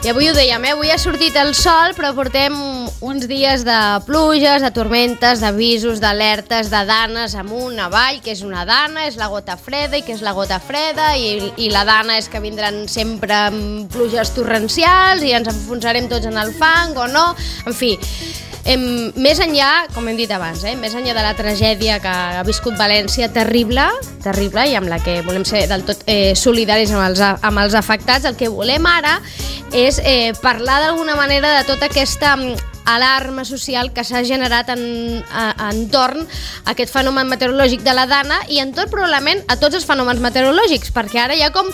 I avui ho dèiem, avui ha sortit el sol, però portem uns dies de pluges, de tormentes, d'avisos, d'alertes, de danes amunt, avall, que és una dana, és la gota freda i que és la gota freda, i la dana és que vindran sempre pluges torrencials i ens enfonsarem tots en el fang o no, en fi. Més enllà, com hem dit abans, més enllà de la tragèdia que ha viscut València, terrible, i amb la que volem ser del tot solidaris amb els afectats, el que volem ara és parlar d'alguna manera de tota aquesta alarma social que s'ha generat entorn a aquest fenomen meteorològic de la dana i entorn probablement a tots els fenòmens meteorològics, perquè ara ja com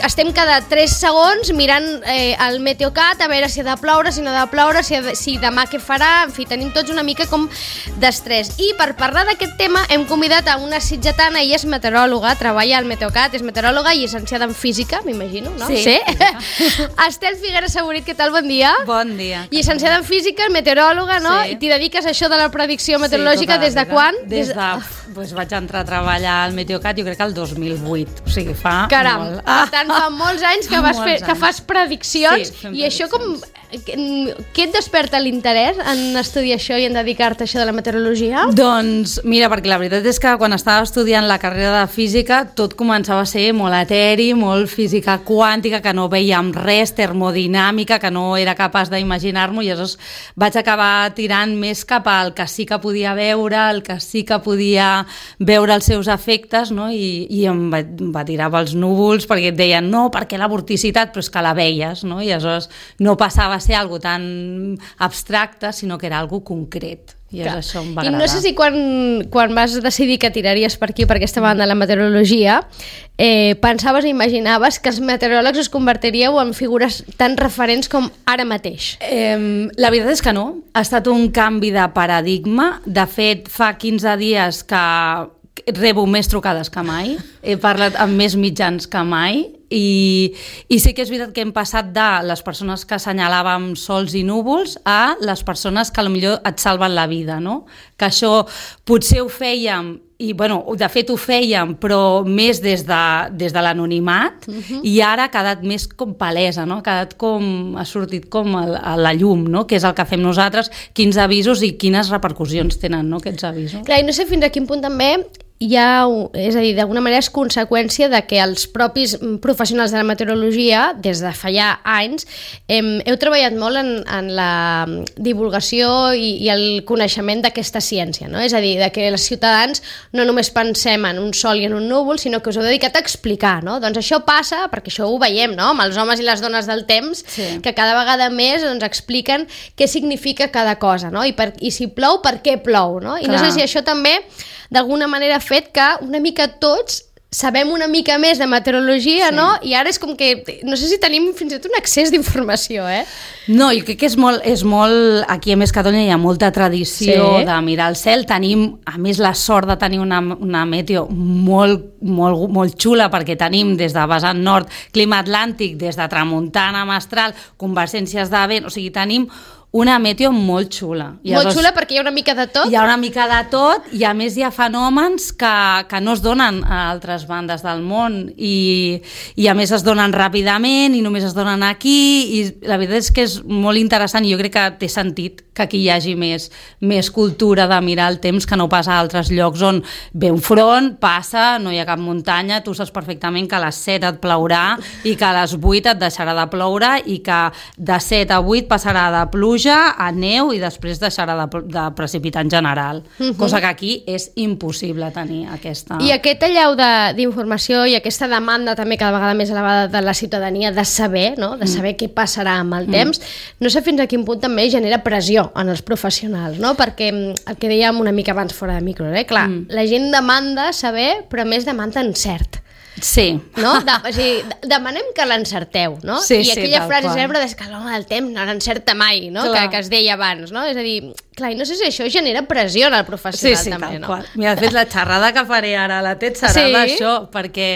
estem cada 3 segons mirant el Meteocat a veure si ha de ploure, si no ha de ploure, si demà què farà, en fi, tenim tots una mica com d'estrès. I per parlar d'aquest tema hem convidat a una sitgetana, ella és meteoròloga, treballa al Meteocat, és meteoròloga i llicenciada en física, m'imagino, no? Sí. Estel Figueres Saborit, què tal? Bon dia. Bon dia. Llicenciada en física, meteoròloga, no? Sí. I t'hi dediques a això de la predicció meteorològica des de quan? Vaig entrar a treballar al Meteocat, jo crec que el 2008, o sigui, fa Caram, molt. Per tant, fa molts anys que fas prediccions, sí, i això què et desperta l'interès en estudiar això i en dedicar-te a això de la meteorologia? Doncs mira, perquè la veritat és que quan estava estudiant la carrera de física tot començava a ser molt eteri, molt física quàntica, que no veiem res, termodinàmica, que no era capaç d'imaginar-m'ho, i llavors vaig acabar tirant més cap al que sí que podia veure, el que sí que podia veure els seus efectes, no? I em va tirar pels núvols perquè et deien no, perquè la vorticitat, però és que la veies, no? I aleshores no passava a ser algo tan abstracte, sinó que era algo concret. I això em va agradar. I no sé si quan vas decidir que tiraries per aquí, per aquesta banda de la meteorologia, pensaves i imaginaves que els meteoròlegs us convertiríeu en figures tan referents com ara mateix? La veritat és que no. Ha estat un canvi de paradigma. De fet, fa 15 dies que rebo més trucades que mai, he parlat amb més mitjans que mai, i sí que és veritat que hem passat de les persones que assenyalàvem sols i núvols a les persones que potser et salven la vida, no? Que això potser ho fèiem, i bueno, de fet ho fèiem, però més des de l'anonimat, i ara ha quedat més com palesa, no? Ha sortit com a la llum, no? Que és el que fem nosaltres, quins avisos i quines repercussions tenen, no? Aquests avisos. Clar, i no sé fins a quin punt també hi ha, és a dir, d'alguna manera és conseqüència de que els propis professionals de la meteorologia, des de fa ja anys, heu treballat molt en la divulgació i el coneixement d'aquesta ciència, no? És a dir, de que els ciutadans no només pensem en un sol i en un núvol, sinó que us heu dedicat a explicar, no? Doncs això passa, perquè això ho veiem, no? Amb els homes i les dones del temps, sí, que cada vegada més expliquen què significa cada cosa, no? I si plou, per què plou, no? I no sé si això també d'alguna manera ha fet que una mica tots sabem una mica més de meteorologia, sí, no? I ara és com que, no sé si tenim fins i tot un excés d'informació, No, jo crec que és molt... Aquí a més Catalunya hi ha molta tradició, sí, de mirar el cel. Tenim, a més, la sort de tenir una meteo molt xula, perquè tenim des de vessant nord clima atlàntic, des de tramuntana, mestral, convergències de vent, o sigui, tenim una meteo molt xula. Molt xula perquè hi ha una mica de tot? Hi ha una mica de tot, i a més hi ha fenòmens que no es donen a altres bandes del món, i a més es donen ràpidament i només es donen aquí, i la veritat és que és molt interessant, i jo crec que té sentit que aquí hi hagi més cultura de mirar el temps que no passa a altres llocs on ve un front, passa, no hi ha cap muntanya, tu saps perfectament que a les 7 et plourà i que a les 8 et deixarà de ploure i que de 7 a 8 passarà de pluja a neu i després deixarà de precipitar en general, cosa que aquí és impossible tenir aquesta... I aquest allau d'informació i aquesta demanda també cada vegada més elevada de la ciutadania de saber, no? De saber què passarà amb el temps, no sé fins a quin punt també genera pressió en els professionals, no? Perquè el que dèiem una mica abans fora de micro, clar, la gent demanda saber, però més demanda encert. Sí. No? O sigui, demanem que l'encerteu, no? Sí, I aquella frase qual. cèlebre que l'home del temps no l'encerta mai, no? Que es deia abans, no? És a dir, clar, i no sé si això genera pressió en el professional també, no? Qual. Mira, de fet, la xerrada que faré ara a la TED serà d'això, perquè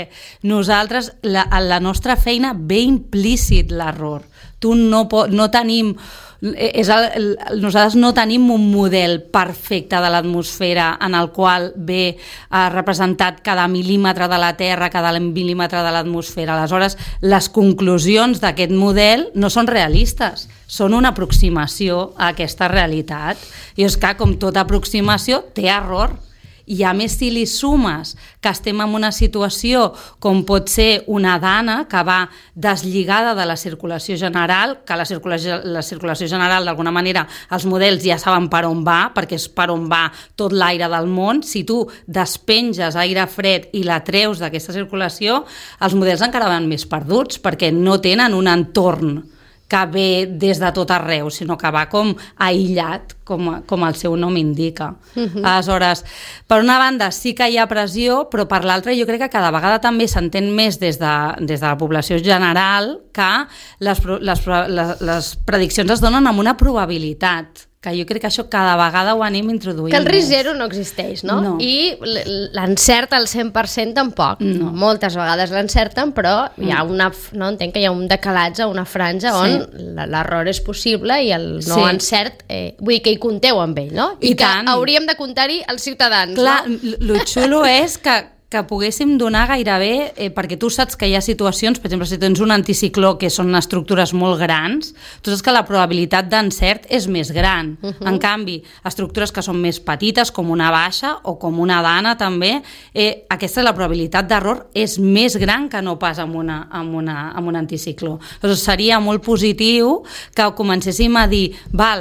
nosaltres, la nostra feina ve implícit l'error. No tenim nosaltres no tenim un model perfecte de l'atmosfera en el qual ve representat cada mil·límetre de la Terra, cada mil·límetre de l'atmosfera. Aleshores, les conclusions d'aquest model no són realistes, són una aproximació a aquesta realitat. I és que, com tota aproximació, té error. I a més, si li sumes que estem en una situació com pot ser una dana que va deslligada de la circulació general, que la circulació general d'alguna manera els models ja saben per on va, perquè és per on va tot l'aire del món. Si tu despenges aire fred i la treus d'aquesta circulació, els models encara van més perduts, perquè no tenen un entorn que ve des de tot arreu, sinó que va com aïllat, com el seu nom indica. Aleshores, per una banda sí que hi ha pressió, però per l'altra jo crec que cada vegada també s'entén més des de la població general que les prediccions es donen amb una probabilitat, que jo crec que això cada vegada ho anem introduint. Que el risc zero no existeix, no? I l'encert al 100% tampoc. No. Moltes vegades l'encerten, però hi ha entenc que hi ha un decalatge, una franja on l'error és possible i el no encert, vull dir que hi compteu amb ell, no? I que hauríem de comptar-hi els ciutadans, clar, no? Lo xulo és que poguéssim donar gairebé, perquè tu saps que hi ha situacions, per exemple, si tens un anticicló que són estructures molt grans, tu saps que la probabilitat d'encert és més gran. En canvi, estructures que són més petites, com una baixa o com una dana també, aquesta la probabilitat d'error és més gran que no pas amb un anticicló. Llavors, seria molt positiu que comencéssim a dir,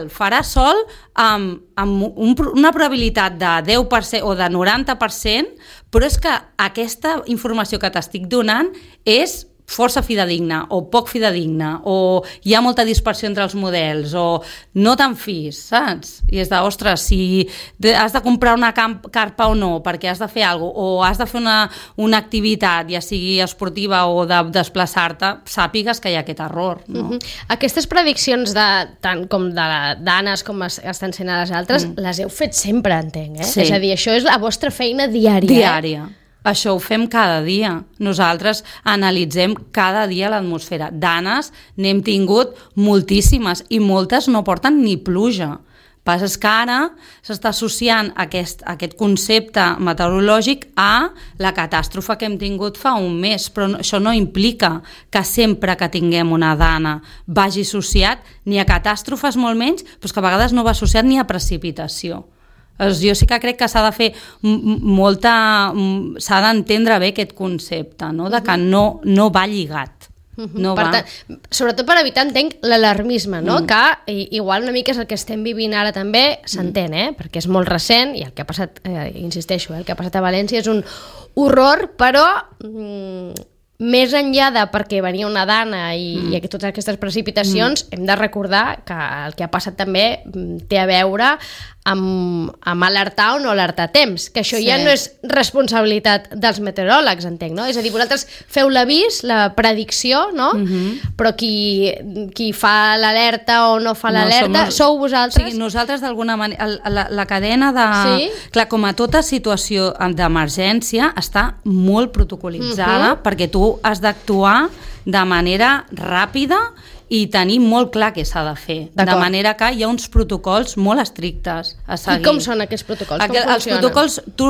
farà sol amb una probabilitat de 10% o de 90%, però és que aquesta informació que t'estic donant és força fidedigna o poc fidedigna, o hi ha molta dispersió entre els models, o no te'n fis, saps? I és de, ostres, si has de comprar una carpa o no, perquè has de fer alguna cosa, o has de fer una activitat, ja sigui esportiva o de desplaçar-te, sàpigues que hi ha aquest error. No? Aquestes prediccions, tant com de danes com estan sent a les altres, les heu fet sempre, entenc, eh? Sí. És a dir, això és la vostra feina diària. Diària. Això ho fem cada dia. Nosaltres analitzem cada dia l'atmosfera. Danes n'hem tingut moltíssimes i moltes no porten ni pluja. Passa que ara s'està associant aquest concepte meteorològic a la catàstrofe que hem tingut fa un mes, però això no implica que sempre que tinguem una dana vagi associat ni a catàstrofes, molt menys, però que a vegades no va associat ni a precipitació. Jo sí que crec que s'ha de fer s'ha d'entendre bé aquest concepte, no? De que no va lligat. Sobretot per evitar, entenc, l'alarmisme, no? Que igual una mica és el que estem vivint ara també, s'entén, perquè és molt recent i el que ha passat, insisteixo, el que ha passat a València és un horror, però més enllà de perquè venia una dana i totes aquestes precipitacions, hem de recordar que el que ha passat també té a veure amb alertar o no alertar a temps, que això ja no és responsabilitat dels meteoròlegs, entenc, no? És a dir, vosaltres feu l'avís, la predicció, no? Però qui fa l'alerta o no fa l'alerta, sou vosaltres? Sí, nosaltres d'alguna manera, la cadena de... Sí? Clar, com a tota situació d'emergència està molt protocolitzada perquè tu has d'actuar de manera ràpida i tenir molt clar què s'ha de fer. De manera que hi ha uns protocols molt estrictes a seguir. I com són aquests protocols? Com funcionen? Els protocols, tu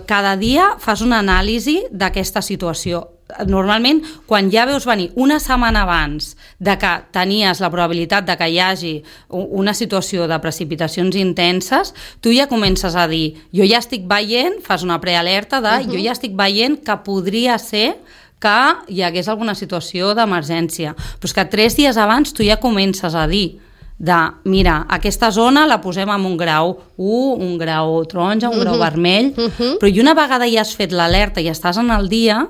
cada dia fas una anàlisi d'aquesta situació. Normalment, quan ja veus venir una setmana abans de que tenies la probabilitat de que hi hagi una situació de precipitacions intenses, tu ja comences a dir, jo ja estic veient, fas una prealerta de jo ja estic veient que podria ser que hi hagués alguna situació d'emergència. Però és que 3 dies abans tu ja comences a dir mira, aquesta zona la posem en un grau 1, un grau taronja, un grau vermell, però i una vegada ja has fet l'alerta i estàs en el dia,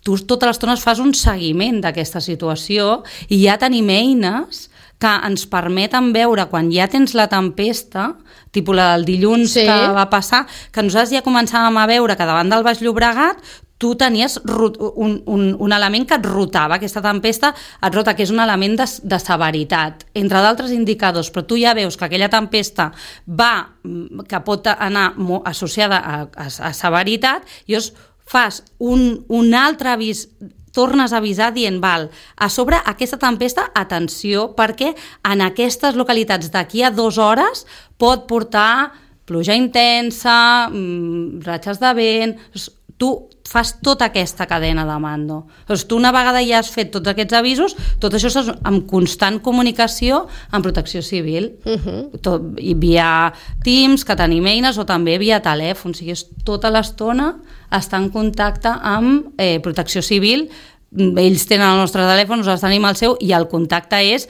tu totes les estones fas un seguiment d'aquesta situació i ja tenim eines que ens permeten veure quan ja tens la tempesta, tipus la del dilluns que va passar, que nosaltres ja començàvem a veure que davant del Baix Llobregat tu tenies un element que et rotava, aquesta tempesta et rota, que és un element de severitat, entre d'altres indicadors, però tu ja veus que aquella tempesta que pot anar associada a severitat, i llavors fas un altre avís tornes a avisar dient, val, a sobre aquesta tempesta, atenció, perquè en aquestes localitats d'aquí a 2 hores pot portar pluja intensa, ratxes de vent... Tu fas tota aquesta cadena de mando. Tu una vegada ja has fet tots aquests avisos, tot això és amb constant comunicació amb Protecció Civil, i via Teams, que tenim eines, o també via telèfon. O sigui, tota l'estona estar en contacte amb Protecció Civil. Ells tenen el nostre telèfon, nosaltres tenim el seu, i el contacte és,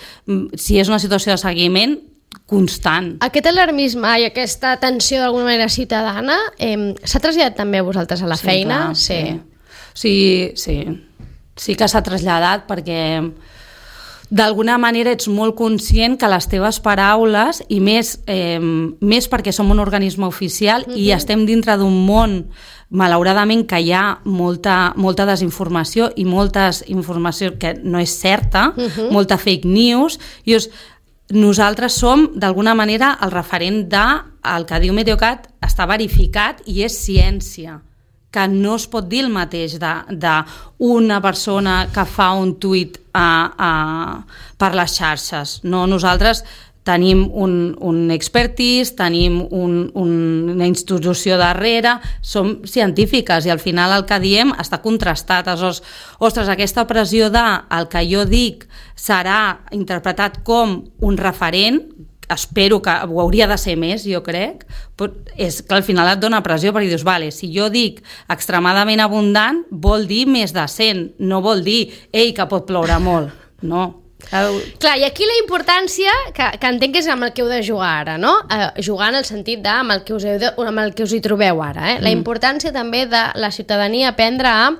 si és una situació de seguiment, constant. Aquest alarmisme i aquesta tensió d'alguna manera ciutadana s'ha traslladat també a vosaltres a la feina? Clar, sí que s'ha traslladat, perquè d'alguna manera ets molt conscient que les teves paraules, i més perquè som un organisme oficial i estem dintre d'un món, malauradament, que hi ha molta desinformació i molta informació que no és certa, molta fake news, i nosaltres som, d'alguna manera, el referent del que diu Meteocat està verificat i és ciència, que no es pot dir el mateix d'una persona que fa un tuit per les xarxes. No, nosaltres tenim un expertise, tenim una institució darrere, som científiques i al final el que diem està contrastat. Ostres, aquesta pressió el que jo dic serà interpretat com un referent, espero que ho hauria de ser més, jo crec, és que al final et dona pressió perquè dius, vale, si jo dic extremadament abundant, vol dir més de 100, no vol dir, que pot ploure molt, no. Clar, i aquí la importància que entenc que és amb el que heu de jugar ara, no? Jugar en el sentit amb el que us hi trobeu ara, la importància també de la ciutadania aprendre a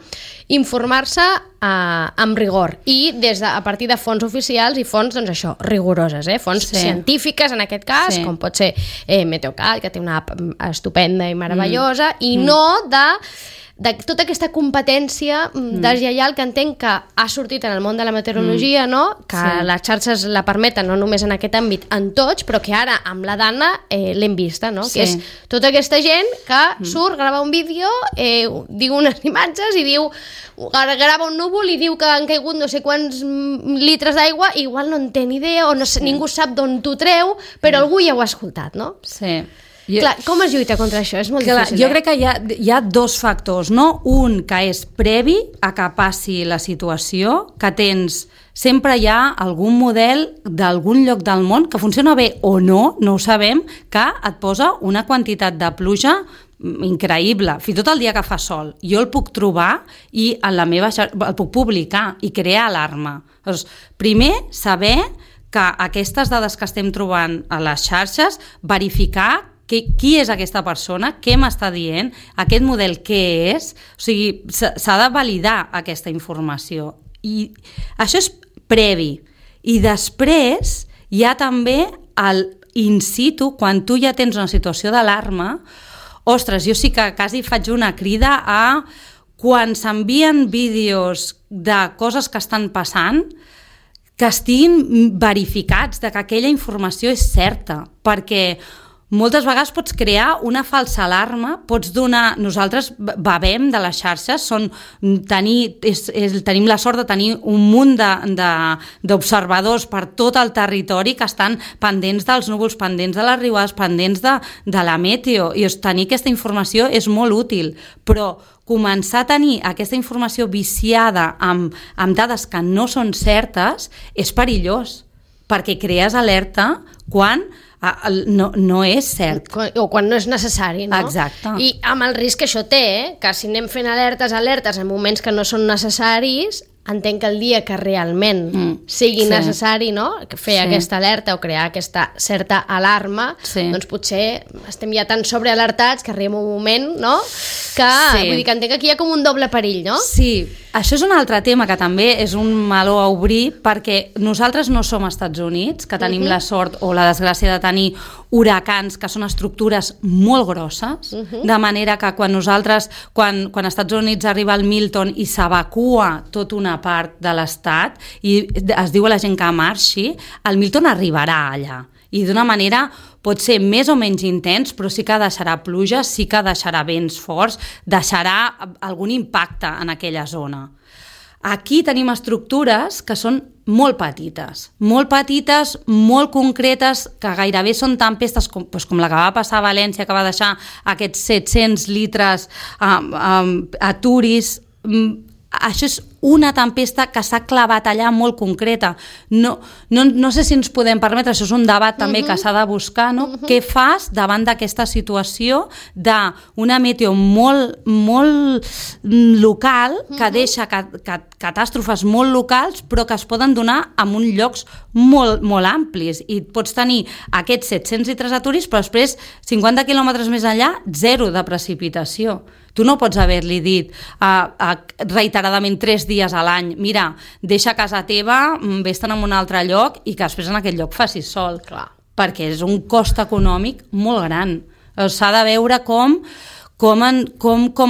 informar-se amb rigor i a partir de fonts oficials i fonts, doncs això, rigoroses, fonts científiques en aquest cas, com pot ser Meteocat, que té una app estupenda i meravellosa, i no de tota aquesta competència deslleial que entenc que ha sortit en el món de la meteorologia, no? Que les xarxes la permeten, no només en aquest àmbit, en tots, però que ara amb la Dana l'hem vista, no? Que és tota aquesta gent que surt, grava un vídeo, diu unes imatges i diu, grava un núvol i diu que han caigut no sé quants litres d'aigua, i igual no en té ni idea o no sé, ningú sap d'on t'ho treu, però algú ja ho ha escoltat, no? Sí. Clar, com es lluita contra això? És molt difícil. Jo crec que hi ha 2 factors, no? Un que és previ a que passi la situació, que sempre hi ha algun model d'algun lloc del món que funciona bé o no ho sabem, que et posa una quantitat de pluja increïble, fins i tot el dia que fa sol. Jo el puc trobar i en la meva el puc publicar i crear alarma. Doncs, primer, saber que aquestes dades que estem trobant a les xarxes, verificar qui és aquesta persona, què m'està dient, aquest model què és, o sigui, s'ha de validar aquesta informació. I això és previ. I després hi ha també el in situ, quan tu ja tens una situació d'alarma. Ostres, jo sí que quasi faig una crida a quan s'envien vídeos de coses que estan passant, que estiguin verificats, de que aquella informació és certa, perquè moltes vegades pots crear una falsa alarma, pots donar... Nosaltres bevem de les xarxes, tenim la sort de tenir un munt d'observadors per tot el territori que estan pendents dels núvols, pendents de les riuades, pendents de la meteo, i tenir aquesta informació és molt útil, però començar a tenir aquesta informació viciada amb dades que no són certes és perillós, perquè crees alerta quan no és cert. O quan no és necessari, no? Exacte. I amb el risc que això té, que si anem fent alertes en moments que no són necessaris, entenc que el dia que realment sigui necessari, no? Fer aquesta alerta o crear aquesta certa alarma, doncs potser estem ja tan sobrealertats que arriba un moment, no? Que, vull dir que entenc que aquí hi ha com un doble perill, no? Sí, això és un altre tema que també és un meló a obrir, perquè nosaltres no som Estats Units, que tenim la sort o la desgràcia de tenir huracans que són estructures molt grosses, de manera que quan als Estats Units arriba el Milton i s'evacua tota una part de l'estat i es diu a la gent que marxi, el Milton arribarà allà. I d'una manera pot ser més o menys intens, però sí que deixarà pluja, sí que deixarà vents forts, deixarà algun impacte en aquella zona. Aquí tenim estructures que són molt petites, molt concretes, que gairebé són tempestes com la que va passar a València, que va deixar aquests 700 litres a Turis. Això és una tempesta que s'ha clavat allà molt concreta. No sé si ens podem permetre, això és un debat també que s'ha de buscar, no? Què fas davant d'aquesta situació d'una meteo molt local que deixa catàstrofes molt locals però que es poden donar en uns llocs molt amplis, i pots tenir aquests 700 litres a Turis però després 50 quilòmetres més enllà zero de precipitació. Tu no pots haver-li dit reiteradament 3 dies a l'any, mira, deixa casa teva, vés-te'n a un altre lloc i que després en aquest lloc facis sol. Clar. Perquè és un cost econòmic molt gran. S'ha de veure com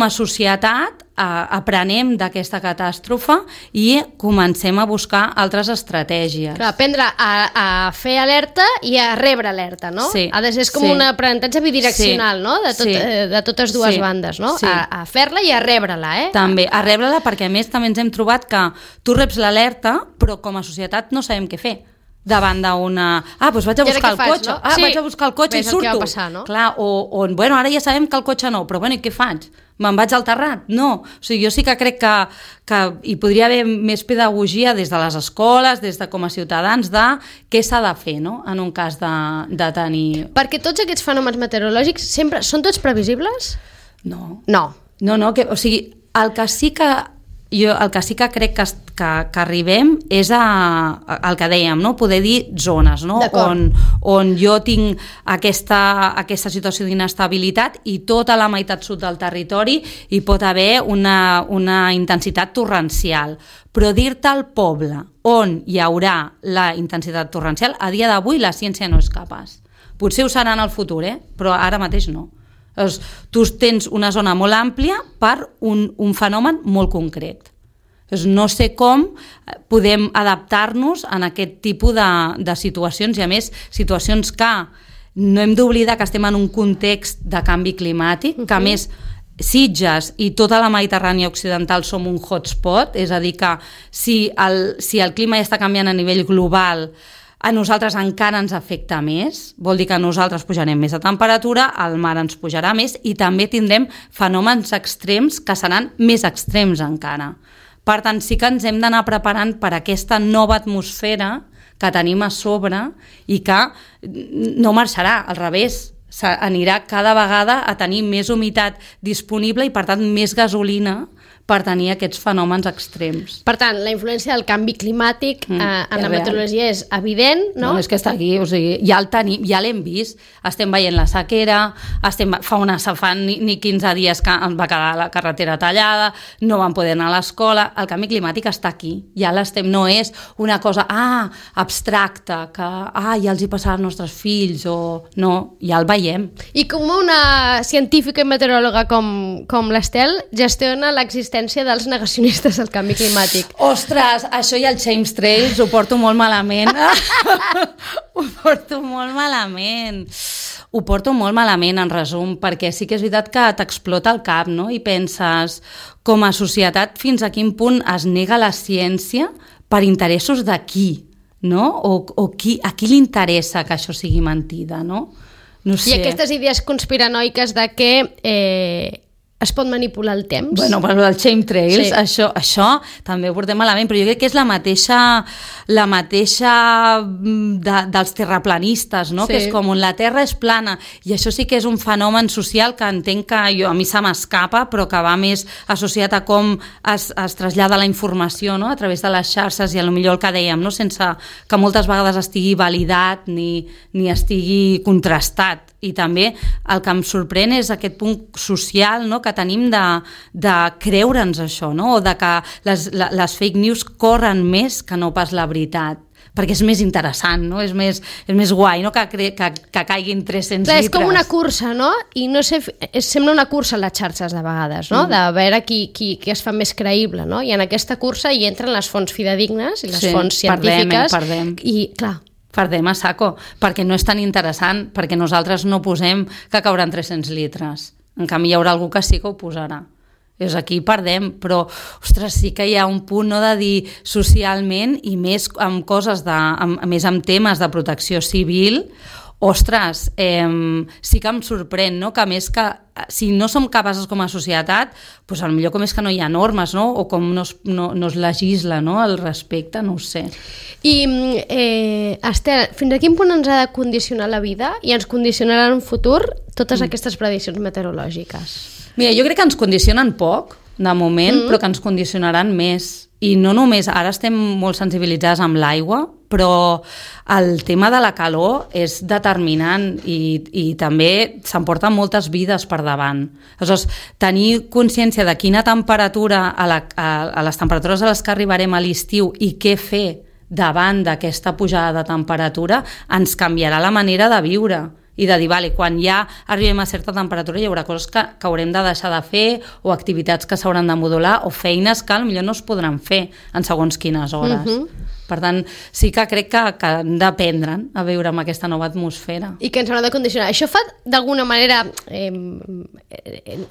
a societat aprenem d'aquesta catàstrofe i comencem a buscar altres estratègies. Clar, aprendre a fer alerta i a rebre alerta, no? Sí. Ha de ser com un aprenentatge bidireccional, no? De totes dues bandes, no? Sí. A fer-la i a rebre-la, També, a rebre-la, perquè a més també ens hem trobat que tu reps l'alerta però com a societat no sabem què fer davant d'una... doncs vaig a buscar el cotxe. No? Vaig a buscar el cotxe i surto. Ves el que va passar, no? Clar, bueno, ara ja sabem que el cotxe no, però bueno, i què faig? Me'n vaig al terrat? No. O sigui, jo sí que crec que hi podria haver més pedagogia des de les escoles, des de com a ciutadans, de què s'ha de fer, no?, en un cas de tenir... Perquè tots aquests fenòmens meteorològics sempre són tots previsibles? No. No. O sigui, el que sí que crec que arribem és el que dèiem, no? Poder dir zones, no? On jo tinc aquesta situació d'inestabilitat i tota la meitat sud del territori hi pot haver una intensitat torrencial. Però dir-te al poble on hi haurà la intensitat torrencial, a dia d'avui la ciència no és capaç. Potser ho serà en el futur, però ara mateix no. Tu tens una zona molt àmplia per un fenomen molt concret. No sé com podem adaptar-nos en aquest tipus de situacions, i a més situacions que no hem d'oblidar que estem en un context de canvi climàtic, que a més Sitges i tota la Mediterrània occidental som un hotspot, és a dir que si el clima ja està canviant a nivell global, a nosaltres encara ens afecta més, vol dir que nosaltres pujarem més de temperatura, el mar ens pujarà més i també tindrem fenòmens extrems que seran més extrems encara. Per tant, sí que ens hem d'anar preparant per aquesta nova atmosfera que tenim a sobre i que no marxarà, al revés, anirà cada vegada a tenir més humitat disponible i, per tant, més gasolina per tenir aquests fenòmens extrems. Per tant, la influència del canvi climàtic en la meteorologia és evident, no? No, és que està aquí, o sigui, ja l'hem vist, estem veient la sequera, fa ni 15 dies que ens va quedar la carretera tallada, no vam poder anar a l'escola, el canvi climàtic està aquí, ja l'estem, no és una cosa abstracta, que ja els hi passarà als nostres fills, no, ja el veiem. I com una científica i meteoròloga com l'Estel gestiona l'existència dels negacionistes del canvi climàtic? Ostres, això i el chemtrails ho porto molt malament. Ho porto molt malament, en resum, perquè sí que és veritat que t'explota el cap, no? I penses, com a societat, fins a quin punt es nega la ciència per interessos de qui, no? O a qui li interessa que això sigui mentida, no? No sé. I aquestes idees conspiranoiques de que es pot manipular el temps. Bueno, però el chemtrails, sí. Això també ho portem malament, però jo crec que és la mateixa dels terraplanistes, no? Sí. Que és com la Terra és plana, i això sí que és un fenomen social que entenc que a mi se m'escapa, però que va més associat a com es trasllada la informació, no? A través de les xarxes, i potser el que dèiem, no? Sense que moltes vegades estigui validat ni estigui contrastat. I també el que em sorprèn és aquest punt social, no?, que tenim de creure'ns això, no?, o de que les fake news corren més que no pas la veritat, perquè és més interessant, no? És més guai, no?, que caiguin 300 litres. És com una cursa, no? I no sé, sembla una cursa a les xarxes de vegades, no? De veure qui es fa més creïble, no? I en aquesta cursa hi entren les fonts fidedignes i les fonts científiques. Perdem. I, clar, perdem a saco, perquè no és tan interessant, perquè nosaltres no posem que cauran 300 litres. En canvi, hi haurà algú que sí que ho posarà. Aquí perdem, però ostres, sí que hi ha un punt, no, de dir socialment i més amb coses més amb temes de protecció civil. Ostres, sí que em sorprèn, no? Que a més que si no som capaços com a societat, doncs potser com és que no hi ha normes, no? O com no es legisla, no? Al respecte, no ho sé. I, Esther, fins a quin punt ens ha de condicionar la vida i ens condicionarà en un futur totes aquestes prediccions meteorològiques? Mira, jo crec que ens condicionen poc, de moment, però que ens condicionaran més. I no només, ara estem molt sensibilitzades amb l'aigua, però el tema de la calor és determinant i també s'emporten moltes vides per davant. Aleshores, tenir consciència de quina temperatura, a les temperatures a les que arribarem a l'estiu i què fer davant d'aquesta pujada de temperatura ens canviarà la manera de viure i de dir, vale, quan ja arribem a certa temperatura hi haurà coses que haurem de deixar de fer o activitats que s'hauran de modular o feines que potser no es podran fer en segons quines hores. Per tant, sí que crec que hem d'aprendre a viure amb aquesta nova atmosfera. I que ens haurà de condicionar. Això fa, d'alguna manera,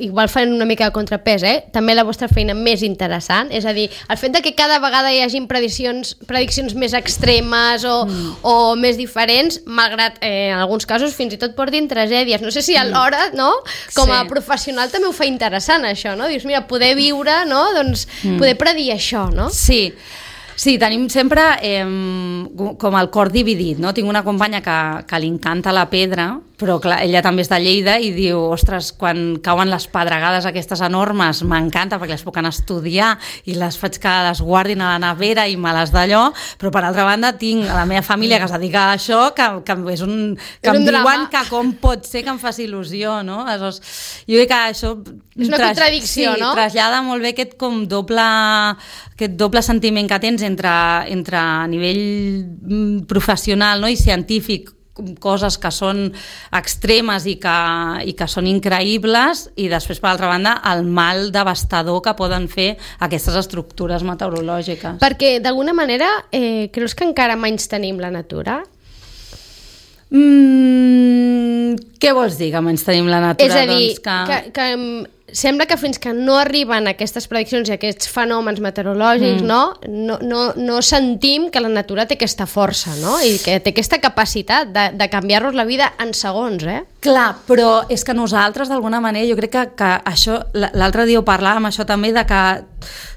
igual fan una mica de contrapès, també la vostra feina més interessant, és a dir, el fet de que cada vegada hi hagi prediccions més extremes o més diferents, malgrat en alguns casos fins i tot portin tragèdies. No sé si alhora, no? Com a professional també ho fa interessant, això, no? Dius, mira, poder viure, no? Doncs poder predir això, no? Sí, tenim sempre com el cor dividit, no? Tinc una companya que li encanta la pedra, però clar, ella també és de Lleida i diu, ostres, quan cauen les pedregades aquestes enormes m'encanta perquè les puc anar a estudiar i les faig que les guardin a la nevera i me les d'allò, però per altra banda tinc a la meva família que es dedica a això que em diuen que com pot ser que em faci il·lusió, no? Aleshores, jo crec que això és una contradicció, no? Trasllada molt bé aquest com doble sentiment que tens entre a nivell professional, no? I científic, coses que són extremes i que són increïbles, i després, per altra banda, el mal devastador que poden fer aquestes estructures meteorològiques. Perquè, d'alguna manera, creus que encara menys tenim la natura? Què vols dir que menys tenim la natura? És a dir, que sembla que fins que no arriben aquestes prediccions i aquests fenòmens meteorològics, no sentim que la natura té aquesta força, no? I que té aquesta capacitat de canviar-nos la vida en segons, Clar, però és que nosaltres, d'alguna manera, jo crec que això, l'altre dia ho parlàvem, això també, de que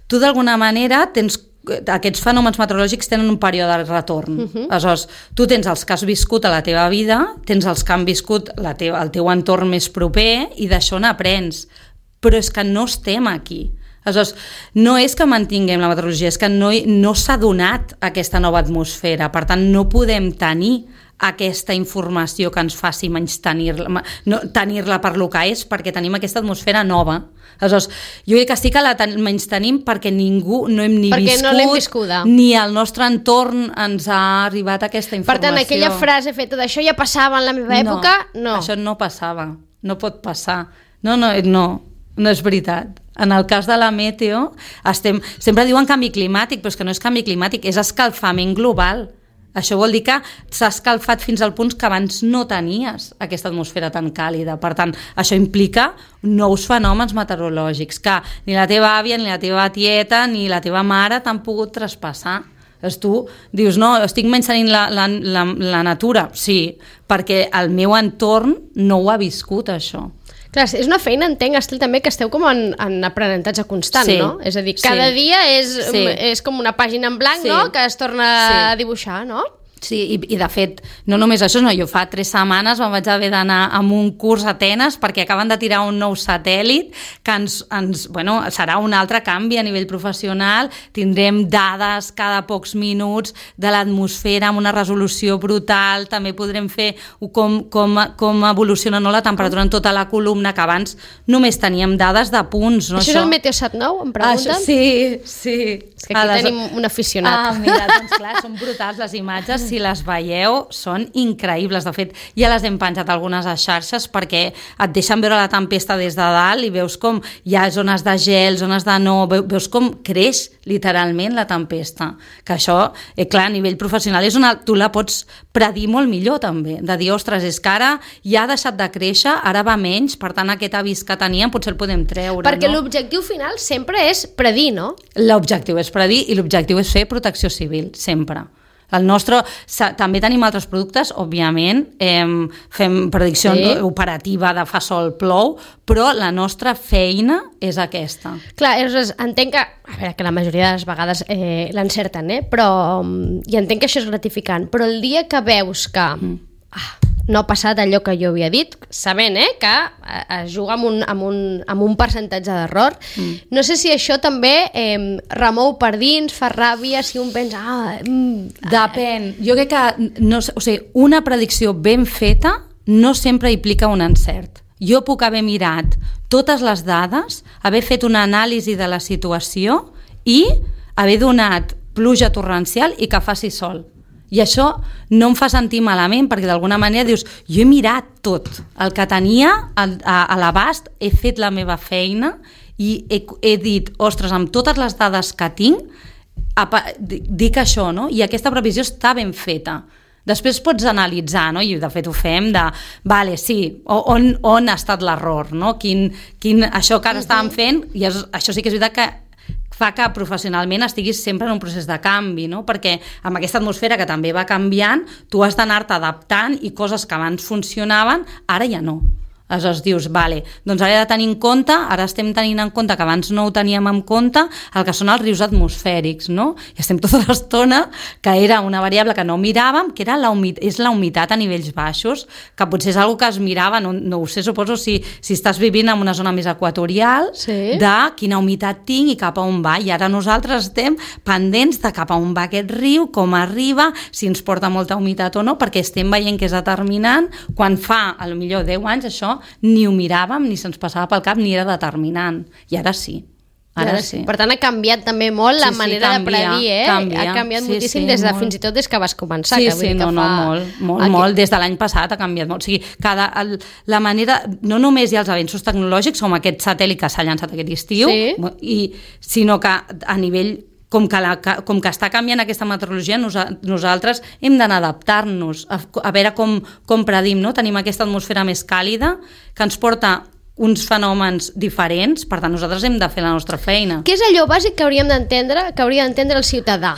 tu, d'alguna manera, aquests fenòmens meteorològics tenen un període de retorn. Aleshores, tu tens els que has viscut a la teva vida, tens els que han viscut el teu entorn més proper i d'això n'aprens. Però és que no estem aquí. Aleshores, no és que mantinguem la meteorologia, és que no s'ha donat aquesta nova atmosfera, per tant no podem tenir aquesta informació que ens faci menys tenir-la per lo que és, perquè tenim aquesta atmosfera nova. Aleshores, jo crec que sí que la menys tenim perquè ningú no hem ni perquè viscut, no l'hem viscuda, ni al nostre entorn ens ha arribat aquesta informació. Per tant, aquella frase feta d'això ja passava en la meva època, no. Això no passava, no pot passar. No és veritat. En el cas de la meteo, sempre diuen canvi climàtic, però és que no és canvi climàtic, és escalfament global. Això vol dir que s'ha escalfat fins al punt que abans no tenies aquesta atmosfera tan càlida. Per tant, això implica nous fenòmens meteorològics que ni la teva àvia, ni la teva tieta, ni la teva mare t'han pogut traspassar. Tu dius, no, estic menys la natura. Sí, perquè el meu entorn no ho ha viscut, això. Clar, és una feina, entenc, Estel, també que esteu com en aprenentatge constant, no? És a dir, cada dia és com una pàgina en blanc, no?, que es torna a dibuixar, no? Sí, i de fet, no només això, jo fa 3 setmanes me'n vaig haver d'anar a un curs a Atenes perquè acaben de tirar un nou satèl·lit que serà un altre canvi a nivell professional, tindrem dades cada pocs minuts de l'atmosfera amb una resolució brutal, també podrem fer com evoluciona la temperatura en tota la columna, que abans només teníem dades de punts. Això és el Meteosat 9, em pregunten? Sí. És que aquí tenim un aficionat. Mira, doncs clar, són brutals les imatges. si les veieu, són increïbles. De fet, ja les hem penjat algunes a xarxes perquè et deixen veure la tempesta des de dalt i veus com hi ha zones de gel, zones de no... Veus com creix literalment la tempesta. Que això, clar, a nivell professional tu la pots predir molt millor també. De dir, ostres, és que ara ja ha deixat de créixer, ara va menys, per tant aquest avís que teníem potser el podem treure. Perquè l'objectiu final sempre és predir, no? L'objectiu és predir i l'objectiu és fer protecció civil, sempre. El nostre, també tenim altres productes, òbviament, fem predicció operativa de fa sol plou, però la nostra feina és aquesta. Clar, entenc que, a veure, que la majoria de les vegades l'encerten, però i entenc que això és gratificant, però el dia que veus que no ha passat allò que jo havia dit, sabent que es juga amb un percentatge d'error. No sé si això també remou per dins, fa ràbia, si un pensa... Depèn. Jo crec que una predicció ben feta no sempre implica un encert. Jo puc haver mirat totes les dades, haver fet una anàlisi de la situació i haver donat pluja torrencial i que faci sol. I això no em fa sentir malament, perquè d'alguna manera dius, jo he mirat tot, el que tenia a l'abast, he fet la meva feina i he dit, ostres, amb totes les dades que tinc, dic això, no? I aquesta previsió està ben feta. Després pots analitzar, no? I de fet ho fem vale, sí, on ha estat l'error, no? Això que ara estàvem fent, i això sí que és veritat que fa que professionalment estiguis sempre en un procés de canvi, no? Perquè amb aquesta atmosfera que també va canviant, tu has d'anar-te adaptant i coses que abans funcionaven, ara ja no. Aleshores dius, vale, doncs ara he de tenir en compte, ara estem tenint en compte que abans no ho teníem en compte, el que són els rius atmosfèrics, no? I estem tota l'estona, que era una variable que no miràvem, que era la humitat a nivells baixos, que potser és una que es mirava, no ho sé, suposo, si estàs vivint en una zona més equatorial, de quina humitat tinc i cap a on va, i ara nosaltres estem pendents de cap a on va aquest riu, com arriba, si ens porta molta humitat o no, perquè estem veient que és determinant, quan fa, potser 10 anys, això ni ho miràvem, ni se'ns passava pel cap, ni era determinant. I ara sí. Ara sí. Per tant, ha canviat també molt la manera de predir, ha canviat moltíssim fins i tot des que vas començar. Molt. Des de l'any passat ha canviat molt. O sigui, la manera, no només hi ha els avenços tecnològics, com aquest satèl·lit que s'ha llançat aquest estiu, sinó que a nivell com que està canviant aquesta meteorologia, nosaltres hem d'anar a adaptar-nos, a veure com predim, no? Tenim aquesta atmosfera més càlida que ens porta uns fenòmens diferents, per tant nosaltres hem de fer la nostra feina. Què és allò bàsic que hauria d'entendre el ciutadà?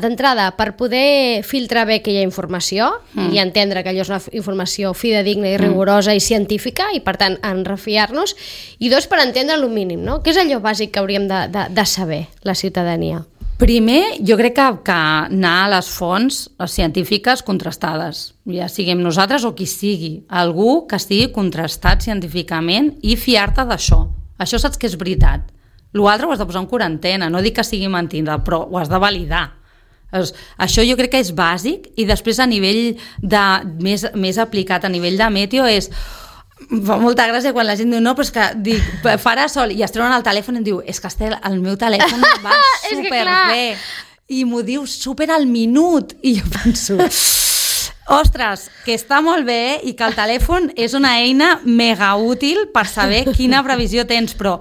D'entrada, per poder filtrar bé aquella informació i entendre que allò és una informació fidedigna i rigorosa i científica i, per tant, en refiar-nos, i dos, per entendre el mínim, no? Què és allò bàsic que hauríem de saber, la ciutadania? Primer, jo crec que anar a les fonts científiques contrastades, ja siguem nosaltres o qui sigui, algú que estigui contrastat científicament i fiar-te d'això. Això saps que és veritat. L'altre ho has de posar en quarantena, no dic que sigui mentida, però ho has de validar. Això jo crec que és bàsic, i després a nivell més aplicat a nivell de meteo és... Fa molta gràcia quan la gent diu no, però és que farà sol, i es treuen el telèfon i em diu, és que Estel, el meu telèfon va superbé, i m'ho diu super al minut, i jo penso... Ostres, que està molt bé i que el telèfon és una eina mega útil per saber quina previsió tens, però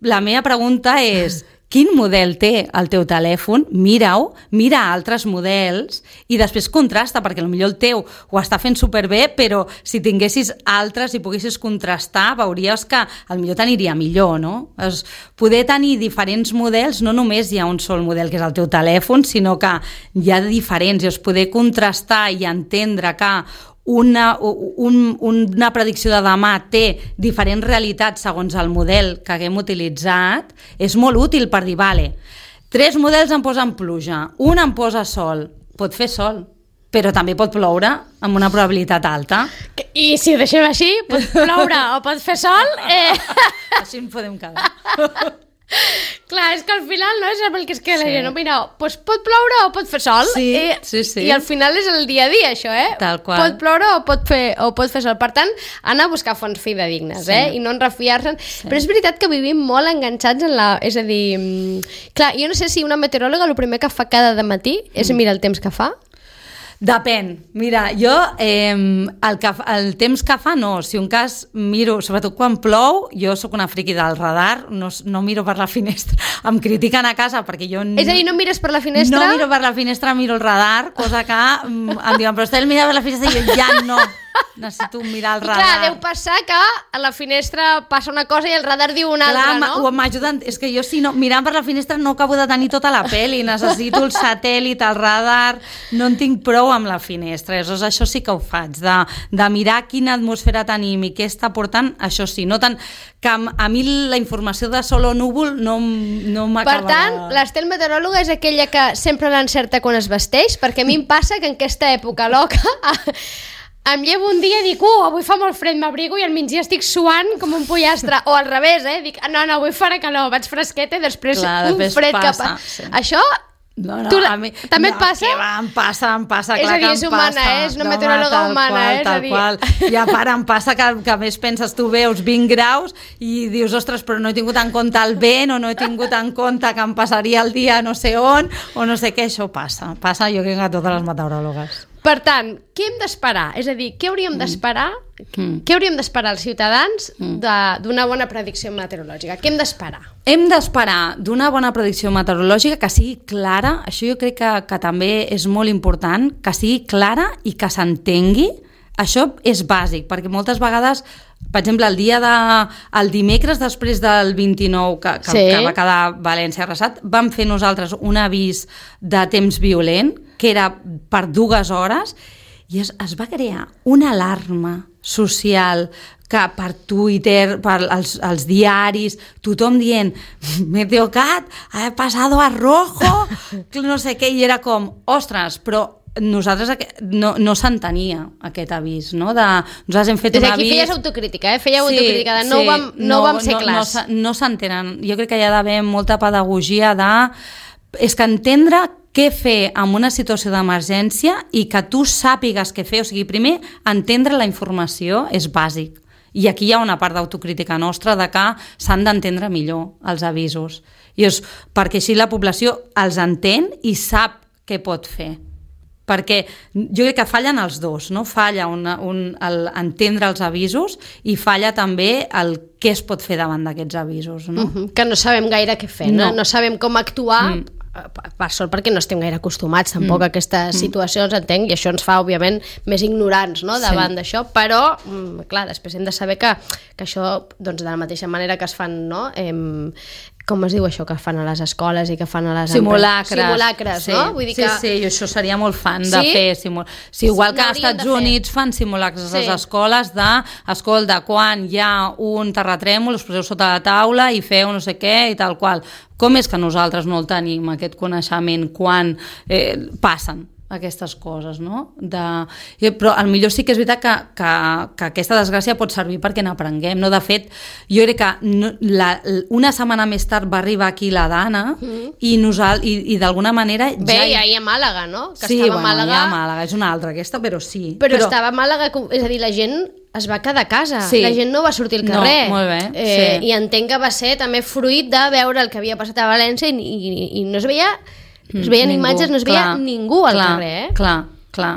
la meva pregunta és quin model té el teu telèfon? Mira-ho, mira altres models i després contrasta, perquè potser el teu ho està fent superbé, però si tinguessis altres i poguessis contrastar, veuries que potser t'aniria millor, no? Poder tenir diferents models, no només hi ha un sol model que és el teu telèfon, sinó que hi ha diferents, i poder contrastar i entendre que una predicció de demà té diferents realitats segons el model que haguem utilitzat, és molt útil per dir, vale, 3 models em posen pluja, un em posa sol, pot fer sol, però també pot ploure amb una probabilitat alta. I si ho deixem així, pot ploure o pot fer sol... Així en podem quedar. Clar, és que al final no és el que es queda la gent. No? Mira, doncs pot ploure o pot fer sol. Sí. I al final és el dia a dia, això, Tal qual. Pot ploure o pot fer sol. Per tant, anar a buscar fonts fidedignes, i no en refiar-se'n. Sí. Però és veritat que vivim molt enganxats en la... És a dir, clar, jo no sé si una meteoròloga el primer que fa cada dematí és mirar el temps que fa. Depèn. Mira, jo el temps que fa no. Si un cas miro, sobretot quan plou, jo sóc una friqui del radar, no miro per la finestra. Em critiquen a casa perquè jo... És a dir, no mires per la finestra? No miro per la finestra, miro el radar, cosa que em diuen, però Estel, mira per la finestra, i jo ja no. Necessito mirar el radar. I clar, deu passar que a la finestra passa una cosa i el radar diu una altra, no? M'ajuden. És que jo, si no, mirant per la finestra no acabo de tenir tota la peli. Necessito el satèl·lit, el radar. No en tinc prou amb la finestra. Aleshores, això sí que ho faig. De mirar quina atmosfera tenim i què està portant, això sí. No tant que a mi la informació de sol o núvol no m'acaba. Per tant, l'Estel meteoròloga és aquella que sempre l'encerta quan es vesteix, perquè a mi em passa que en aquesta època loca... Em llevo un dia i dic, avui fa molt fred, m'abrigo i al migdia estic suant com un pollastre. O al revés, dic, no, avui farà calor, vaig fresqueta i després un fred que passa. Sí. Això també et passa? Em passa, clar que em passa. És a dir, és humana, és una meteoròloga humana. Tal qual. I a part em passa que a més penses, tu veus 20 graus i dius, ostres, però no he tingut en compte el vent o no he tingut en compte que em passaria el dia no sé on o no sé què, això passa. Passa, jo crec que a totes les meteoròlogues. Per tant, què hem d'esperar? És a dir, què hauríem d'esperar? Què hauríem d'esperar els ciutadans d'una bona predicció meteorològica? Què hem d'esperar? Hem d'esperar d'una bona predicció meteorològica que sigui clara, això jo crec que també és molt important, que sigui clara i que s'entengui. Això és bàsic, perquè moltes vegades, per exemple, el dimecres després del 29 que va quedar València arrasat, vam fer nosaltres un avís de temps violent, que era per 2 hores, i es va crear una alarma social que per Twitter, per els diaris, tothom dient Meteocat, ha passado a rojo, no sé què, i era com, ostres, però nosaltres no s'entenia aquest avís, no? Nosaltres hem fet un avís... Aquí feies autocrítica, Fèieu autocrítica, no ho vam ser clars. No s'entenen. Jo crec que hi ha d'haver molta pedagogia és que entendre què fer en una situació d'emergència i que tu sàpigues què fer, o sigui, primer, entendre la informació és bàsic. I aquí hi ha una part d'autocrítica nostra de que s'han d'entendre millor els avisos. Perquè així la població els entén i sap què pot fer. Perquè jo crec que fallen els dos, no? Falla entendre els avisos i falla també el què es pot fer davant d'aquests avisos, no? Que no sabem gaire què fer, no sabem com actuar, per sort perquè no estem gaire acostumats tampoc a aquestes situacions, entenc, i això ens fa, òbviament, més ignorants, no?, davant d'això, però, clar, després hem de saber que això, doncs, de la mateixa manera que es fan, no?, com es diu això que fan a les escoles i que fan a les simulacres, no? Vull dir que... Sí, jo això seria molt fan de fer simulacres. Igual que als Estats Units fan simulacres a les escoles escolta, quan hi ha un terratrèmol us poseu sota la taula i feu no sé què i tal qual. Com és que nosaltres no el tenim, aquest coneixement, quan passen aquestes coses, no? Però al millor sí que és veritat que aquesta desgràcia pot servir perquè n'aprenguem, no? De fet, jo crec que una setmana més tard va arribar aquí la Dana i d'alguna manera... Bé, ja hi ha Màlaga, no? Sí, bueno, hi ha Màlaga, és una altra aquesta, però sí. Però estava a Màlaga, és a dir, la gent es va quedar a casa, la gent no va sortir al carrer. No, molt bé, I entenc que va ser també fruit de veure el que havia passat a València i no es veia... Es veien imatges, no es veia ningú al carrer, Clar.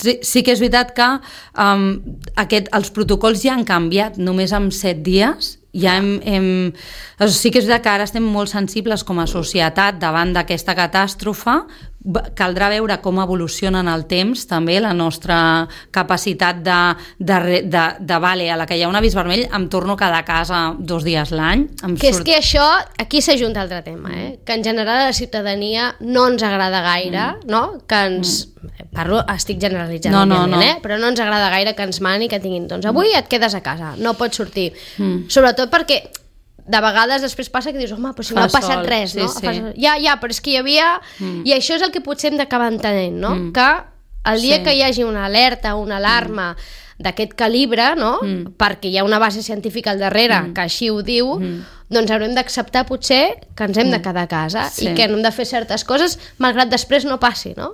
Sí que és veritat que els protocols ja han canviat només en 7 dies. Sí que és veritat que ara estem molt sensibles com a societat davant d'aquesta catàstrofe. Caldrà veure com evoluciona en el temps també la nostra capacitat vale, a la que hi ha un avís vermell em torno a quedar a casa 2 dies l'any. És que això, aquí s'ajunta altre tema, que en general a la ciutadania no ens agrada gaire, no? Que ens... estic generalitzant, òbviament, però no ens agrada gaire que ens mani, que tinguin, doncs avui et quedes a casa, no pots sortir. Sobretot perquè de vegades després passa que dius, home, però si no ha passat res, no? Ja, però és que hi havia... I això és el que potser hem d'acabar entenent, no? Que el dia que hi hagi una alerta, una alarma d'aquest calibre, no? Perquè hi ha una base científica al darrere que així ho diu, doncs haurem d'acceptar potser que ens hem de quedar a casa i que no hem de fer certes coses malgrat després no passi, no?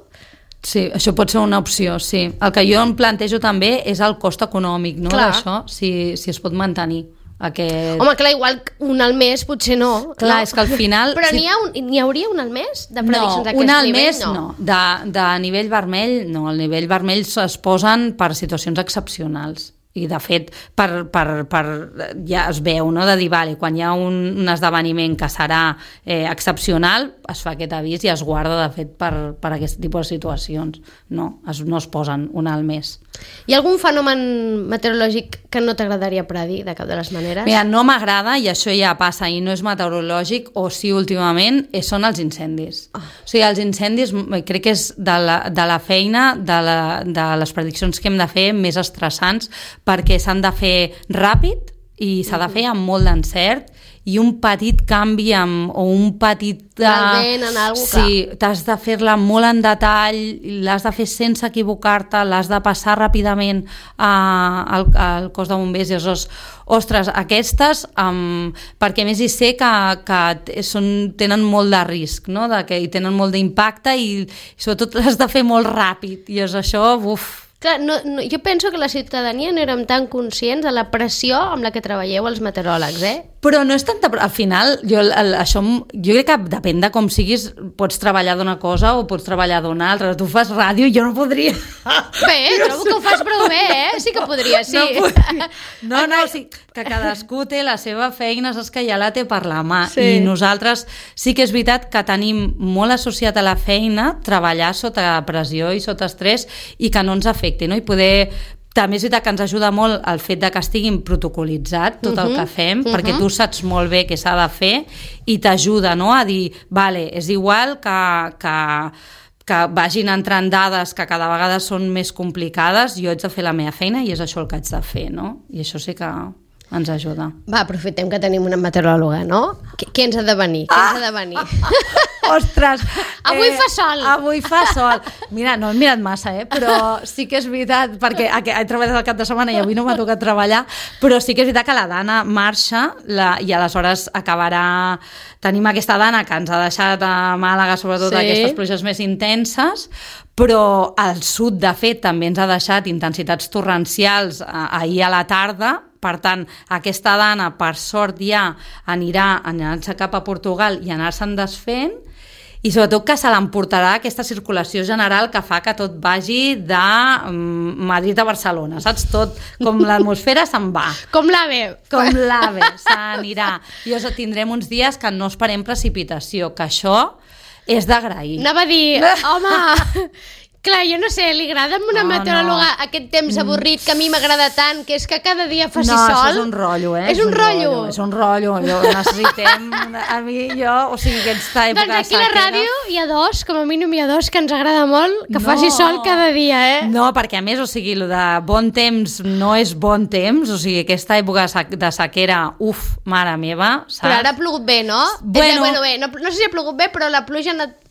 Sí, això pot ser una opció, sí. El que jo em plantejo també és el cost econòmic, no, d'això, si es pot mantenir. Home, clar, igual un al mes potser no. Clar, és que al final... Però n'hi hauria un al mes de prediccions d'aquest nivell? No, un al mes no. De nivell vermell, no. El nivell vermell es posen per situacions excepcionals. I de fet ja es veu, no? De dir, vale, quan hi ha un esdeveniment que serà excepcional, es fa aquest avís i es guarda de fet per aquest tipus de situacions, no es posen un al mes. Hi ha algun fenomen meteorològic que no t'agradaria predir de cap de les maneres? Mira, no m'agrada, i això ja passa i no és meteorològic, o sí últimament, són els incendis. O sigui, els incendis crec que és de la feina de les prediccions que hem de fer més estressants, perquè s'han de fer ràpid i s'ha de fer amb molt d'encert, i un petit canvi o un petit... El vent en alguna cosa. Sí, t'has de fer-la molt en detall, l'has de fer sense equivocar-te, l'has de passar ràpidament al cos de bombers i ostres, aquestes, perquè a més hi sé que tenen molt de risc, no? I tenen molt d'impacte i sobretot l'has de fer molt ràpid i és això, Clar, jo penso que la ciutadania no érem tan conscients de la pressió amb la que treballeu els meteoròlegs, Però no és tanta... Al final, jo crec que depèn de com siguis, pots treballar d'una cosa o pots treballar d'una altra. Tu fas ràdio i jo no podria. Bé, trobo que ho fas prou bé, Sí que podria, sí. No, sí, que cadascú té la seva feina, saps que ja la té per la mà. Sí. I nosaltres sí que és veritat que tenim molt associat a la feina treballar sota pressió i sota estrès i que no ens afecti, no? I poder... També és veritat que ens ajuda molt el fet de que estiguin protocolitzat tot el que fem, perquè tu saps molt bé què s'ha de fer i t'ajuda, no? A dir, vale, és igual que vagin entrant dades que cada vegada són més complicades, jo haig de fer la meva feina i és això el que haig de fer, no? I això sí que ens ajuda. Va, aprofitem que tenim una meteoròloga, no? Què ens ha de venir? Ostres! Avui fa sol! Avui fa sol! Mira, no he mirat massa, però sí que és veritat, perquè he treballat el cap de setmana i avui no m'ha tocat treballar, però sí que és veritat que la Dana marxa i aleshores acabarà... Tenim aquesta Dana que ens ha deixat a Màlaga, sobretot aquestes pluges més intenses, però al sud, de fet, també ens ha deixat intensitats torrencials ahir a la tarda. Per tant, aquesta Dana, per sort, ja anirà-se cap a Portugal i anar-se'n desfent, i sobretot que se l'emportarà aquesta circulació general que fa que tot vagi de Madrid a Barcelona, saps? Tot, com l'atmosfera se'n va. Com l'AVE. Com l'AVE, s'anirà. I tindrem uns dies que no esperem precipitació, que això és d'agrair. Anava a dir, home... Clar, jo no sé, li agrada a una meteoròloga aquest temps avorrit que a mi m'agrada tant, que és que cada dia faci sol? No, això és un rotllo, És un rotllo? És un rotllo, necessitem... o sigui, aquesta època... Doncs aquí a la ràdio hi ha dos, com a mínim hi ha dos, que ens agrada molt, que faci sol cada dia, No, perquè a més, o sigui, el de bon temps no és bon temps, o sigui, aquesta època de sequera, mare meva, saps? Però ara ha plogut bé, no? Bueno, no sé si ha plogut bé, però la pluja ha anat...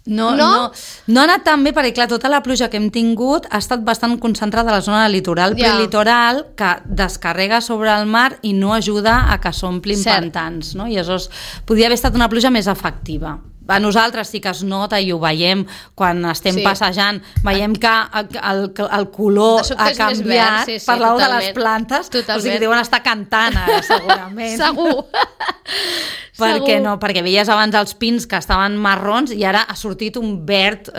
No ha anat tan bé perquè, clar, tota la pluja que hem tingut ha estat bastant concentrada a la zona litoral prelitoral que descarrega sobre el mar i no ajuda a que s'omplin pantans, no? I aleshores podria haver estat una pluja més efectiva. A nosaltres sí que es nota i ho veiem quan estem passejant, veiem que el color ha canviat per l'ou de les plantes, o sigui, deuen estar cantant ara, segurament. Segur. Perquè veies abans els pins que estaven marrons i ara ha sortit un verd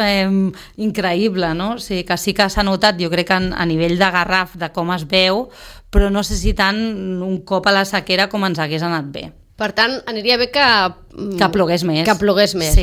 increïble, no? O sigui, que sí que s'ha notat, jo crec que a nivell de garraf, de com es veu, però no sé si tant un cop a la sequera com ens hagués anat bé. Per tant, aniria bé que plogués més. Que plogués més,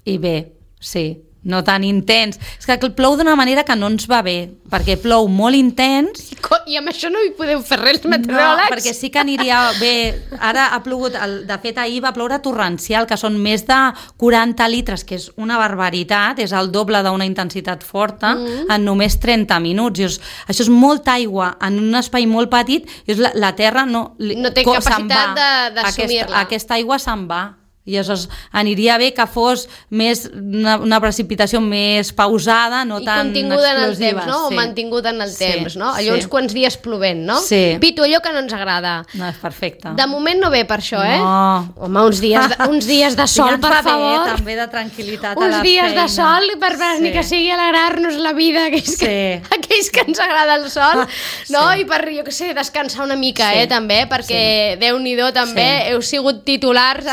I bé, sí. No tan intens. És que plou d'una manera que no ens va bé, perquè plou molt intens. I amb això no hi podeu fer res, meteoròlegs? No, perquè sí que aniria bé. Ara ha plogut, de fet ahir va ploure torrencial, que són més de 40 litres, que és una barbaritat, és el doble d'una intensitat forta, en només 30 minuts. I això és molta aigua en un espai molt petit, i la terra no té capacitat d'assumir-la. Aquesta aigua se'n va. I aleshores aniria bé que fos més una precipitació més pausada, no tan explosiva. I continguda en el temps, no? O mantinguda en el temps, no? Allò uns quants dies plovent, no? Sí. Pitu, allò que no ens agrada. No, és perfecte. De moment no ve per això, No. Home, uns dies de sol, per favor. Ja també de tranquil·litat a la feina. Uns dies de sol, per ni que sigui alegrar-nos la vida, aquells que ens agrada el sol, no? I per, jo què sé, descansar una mica, també, perquè Déu-n'hi-do també, heu sigut titulars,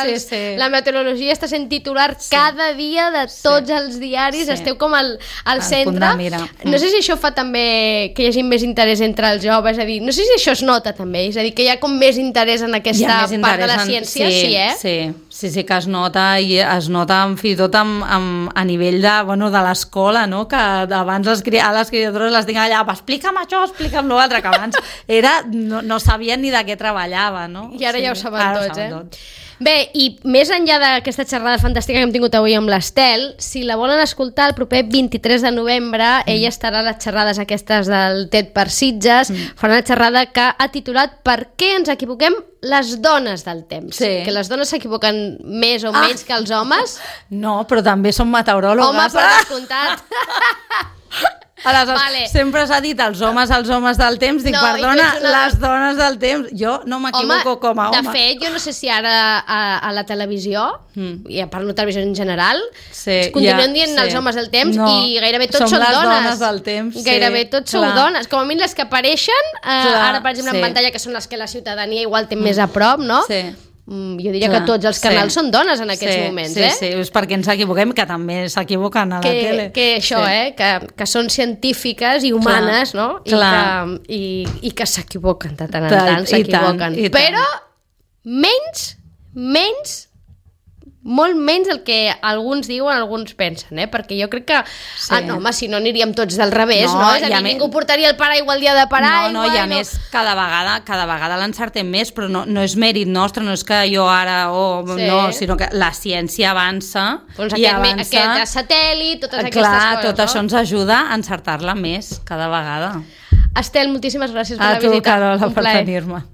la meteorologia està sent titular cada dia de tots els diaris, esteu com al centre. No sé si això fa també que hi hagi més interès entre els joves, és a dir, no sé si això es nota també, és a dir, que hi ha com més interès en aquesta part de la ciència, Sí, que es nota, i es nota fins i tot a nivell de l'escola, no? Que abans a les criatures les tinc allà, explica'm això, explica'm l'altre, que abans no sabien ni de què treballava, no? I ara ja ho saben tots, Bé, i més enllà d'aquesta xerrada fantàstica que hem tingut avui amb l'Estel, si la volen escoltar el proper 23 de novembre, ella estarà a les xerrades aquestes del TED per Sitges, farà una xerrada que ha titulat Per què ens equivoquem les dones del temps? Que les dones s'equivoquen més o menys que els homes? No, però també són meteoròlogues. Home, per descomptat. Aleshores, sempre s'ha dit els homes del temps, dic, perdona, les dones del temps, jo no m'equivoco com a home. De fet, jo no sé si ara a la televisió, i parlo de televisió en general, continuen dient els homes del temps i gairebé tots són dones. Som les dones del temps. Gairebé tots sou dones. Com a mínim les que apareixen, ara per exemple en pantalla, que són les que la ciutadania igual té més a prop, no? Jo diria que tots els canals són dones en aquests moments, Sí, és perquè ens equivoquem, que també s'equivoquen a la tele. Que això, que són científiques i humanes, no? I que s'equivoquen de tant en tant, s'equivoquen. Però menys, molt menys del que alguns diuen, alguns pensen, perquè jo crec que home, si no aniríem tots del revés, no? És a dir, ningú portaria el paraigua el dia de paraigua. No, i a més, cada vegada l'encertem més, però no és mèrit nostre, no és que jo ara, no, sinó que la ciència avança i avança. Aquest satèl·lit, totes aquestes coses. Tot això ens ajuda a encertar-la més cada vegada. Estel, moltíssimes gràcies per la visita. A tu, Carola, per tenir-me.